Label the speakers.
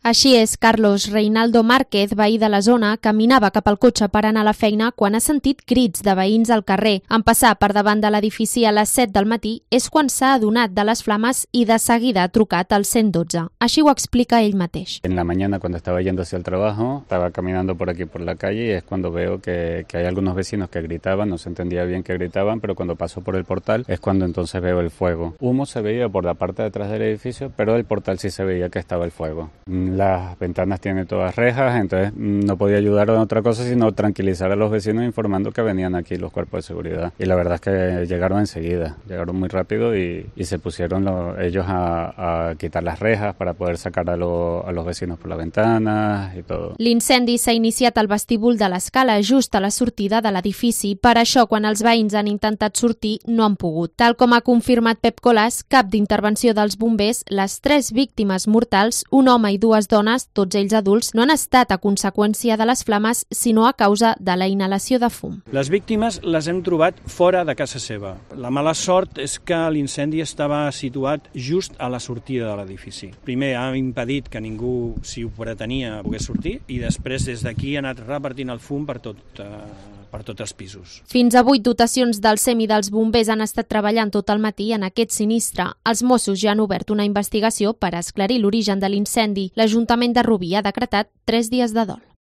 Speaker 1: Així és, Carlos Reinaldo Márquez, veí de la zona, caminava cap al cotxe per anar a la feina quan ha sentit crits de veïns al carrer. En passar per davant de l'edifici a les 7 del matí és quan s'ha adonat de les flames i de seguida ha trucat al 112. Així ho explica ell mateix.
Speaker 2: En la mañana, cuando estaba yendo hacia el trabajo, estaba caminando por aquí por la calle y es cuando veo que hay algunos vecinos que gritaban, no se entendía bien qué gritaban, pero cuando paso por el portal es cuando entonces veo el fuego. Humo se veía por la parte de atrás del edificio, pero del portal sí se veía que estaba el fuego. Las ventanas tienen todas rejas, entonces no podía ayudar a otra cosa sino tranquilizar a los vecinos informando que venían aquí los cuerpos de seguridad. Y la verdad es que llegaron enseguida, llegaron muy rápido y se pusieron ellos a quitar las rejas para poder sacar a los vecinos por la ventana y todo.
Speaker 1: L'incendi s'ha iniciat al vestíbul de l'escala, just a la sortida de l'edifici. Per això, quan els veïns han intentat sortir, no han pogut. Tal com ha confirmat Pep Colàs, cap d'intervenció dels bombers, les 3 víctimes mortals, un home i 2 dones, tots ells adults, no han estat a conseqüència de les flames, sinó a causa de la inhalació de fum.
Speaker 3: Les víctimes les hem trobat fora de casa seva. La mala sort és que l'incendi estava situat just a la sortida de l'edifici. Primer ha impedit que ningú, si ho pretenia, pogués sortir, i després des d'aquí ha anat repartint el fum per tots els pisos.
Speaker 1: Fins a 8 dotacions del SEM i dels bombers han estat treballant tot el matí en aquest sinistre. Els Mossos ja han obert una investigació per esclarir l'origen de l'incendi. L'Ajuntament de Rubí ha decretat 3 dies de dol.